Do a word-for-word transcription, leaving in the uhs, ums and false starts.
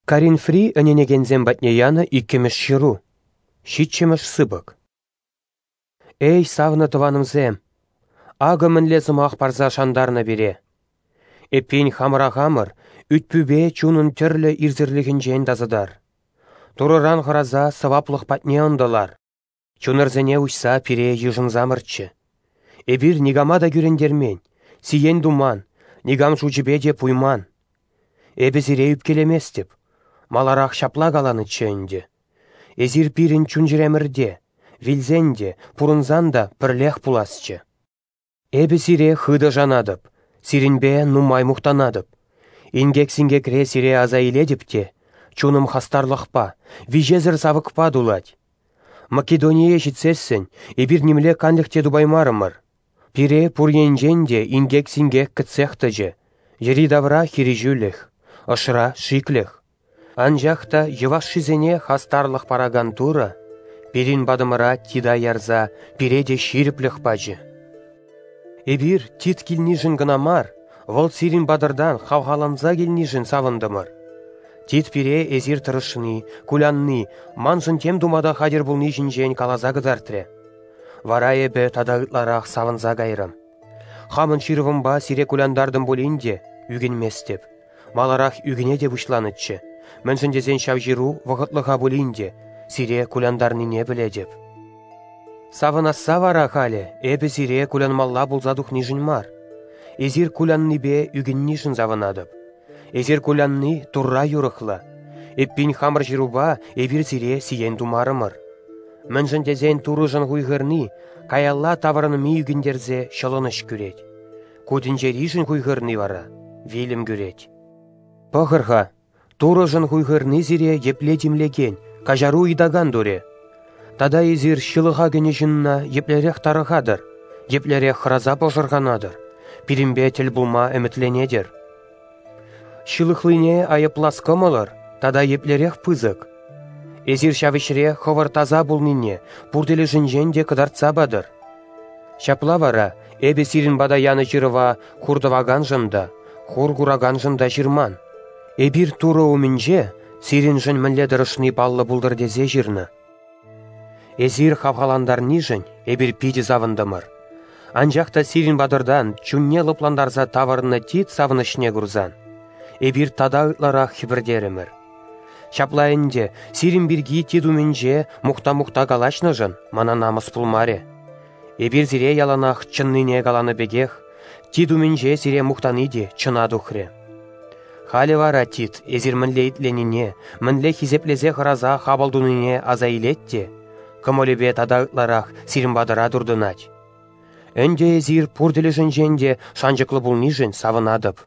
Коринфри ӗненекенсем патне янӑ иккӗмӗш ҫыру, ҫиччӗмӗш сыпӑк. Эй, савнӑ тӑванӑмсем, акӑ мӗнле сӑмах парса шантарнӑ пире. Эппин, хамӑра хамӑр ӳт-пӳпе чунӑн тӗрлӗ ирсӗрлӗхӗнчен тасатар. Турӑран хӑраса сӑваплӑх патне ӑнтӑлар. Чунӑрсене уҫса пире йышӑнсамӑрччӗ. Эпир никама та кӳрентермен, сиен туман, никам шучӗпе те пуйман. Эпӗ сире ӳпкелеместӗп, маларах ҫапла каланӑччӗ ӗнтӗ. Эсир пирӗн чун-чӗремӗрте, вилсен те, пурӑнсан та пӗрлех пуласчӗ. Эпӗ сире хытӑ шанатӑп, сирӗнпе нумай мухтанатӑп. Инкек-синкекре сире аса илетӗп те, чунӑм хастарлӑхпа, виҫесӗр савӑкпа тулать. Македоние ҫитсессӗн эпир нимле канлӗх те тупаймарӑмӑр. Пире пур енчен те инкек-синкек кӗтсех тӑчӗ, йӗри-тавра хирӗҫӳлӗх, ӑшра шиклӗх. Анчах та йӑвашшисене хастарлӑх паракан Турӑ пирӗн патӑмӑра Тита ярса пире те ҫирӗплӗх пачӗ. Эпир Тит килнишӗн кӑна мар, вӑл сирӗн патӑртан хавхаланса килнишӗн савӑнтӑмӑр. Тит пире эсир тӑрӑшни, кулянни, маншӑн тем тума та хатӗр пулни ҫинчен каласа кӑтартрӗ. Вара эпӗ тата ытларах савӑнса кайрӑм. Хамӑн ҫырӑвӑмпа сире кулянтартӑм пулин те ӳкӗнместӗп. Маларах ӳкӗне те пуҫланӑччӗ, мӗншӗн тесен ҫав ҫыру вӑхӑтлӑха пулин те сире кулянтарнине пӗлетӗп. Савӑнасса вара халӗ эпӗ сире кулянмалла пулса тухнишӗн мар. Эсир куляннипе ӳкӗннишӗн савӑнатӑп. Эсир кулянни Турра юрӑхлӑ. Эппин хамӑр ҫырупа эпир сире сиен тумарӑмӑр. Мӗншӗн тесен Турӑшӑн хуйхӑрни каялла таврӑнми ӳкӗнтерсе ҫӑлӑнӑҫ кӳрет. Ку тӗнчеришӗн хуйхӑрни вара вилӗм кӳрет. Пӑхӑр-ха, Турӑшӑн хуйхӑрни сире епле тимлекен, каҫару ыйтакан турӗ. Тата эсир ҫылӑха кӗнӗ ҫынна еплерех тарӑхатӑр, еплерех хӑраса пӑшӑрханатӑр, пирӗнпе тӗл пулма ӗмӗтленетӗр. Ҫылӑхлине айӑплас кӑмӑлӑр тата еплерех пысӑк. Эсир ҫав ӗҫре хӑвӑр таса пулнине пур тӗлӗшӗнчен те кӑтартса патӑр. Ҫапла вара эпӗ сирӗн пата янӑ ҫырӑва хур тӑваканшӑн та, хур кураканшӑн та ҫырман. Эпир Турӑ умӗнче сирӗншӗн мӗнле тӑрӑшни паллӑ пултӑр тесе ҫырнӑ. Эсир хавхалантарнишӗн эпир питӗ савӑнтӑмӑр. Анчах та сирӗн патӑртан чунне лӑплантарса тавӑрнӑ Тит савӑнӑҫне курсан, эпир тата ытларах хӗпӗртерӗмӗр. Ҫапла ӗнтӗ сирӗн пирки Тит умӗнче мухта-мухта калаҫнӑшӑн мана намӑс пулмарӗ. Эпир сире яланах чӑннине каланӑ пекех, Тит умӗнче сире мухтани те чӑна тухрӗ. Халӗ вара Тит эсир мӗнле итленине, мӗнле хисеплесе хӑраса хапӑл тунине аса илет те, кӑмӑлӗпе тата ытларах сирӗн патӑра туртӑнать. Ӗнтӗ эсир пур тӗлӗшӗнчен те шанчӑклӑ пулнишӗн савӑнатӑп.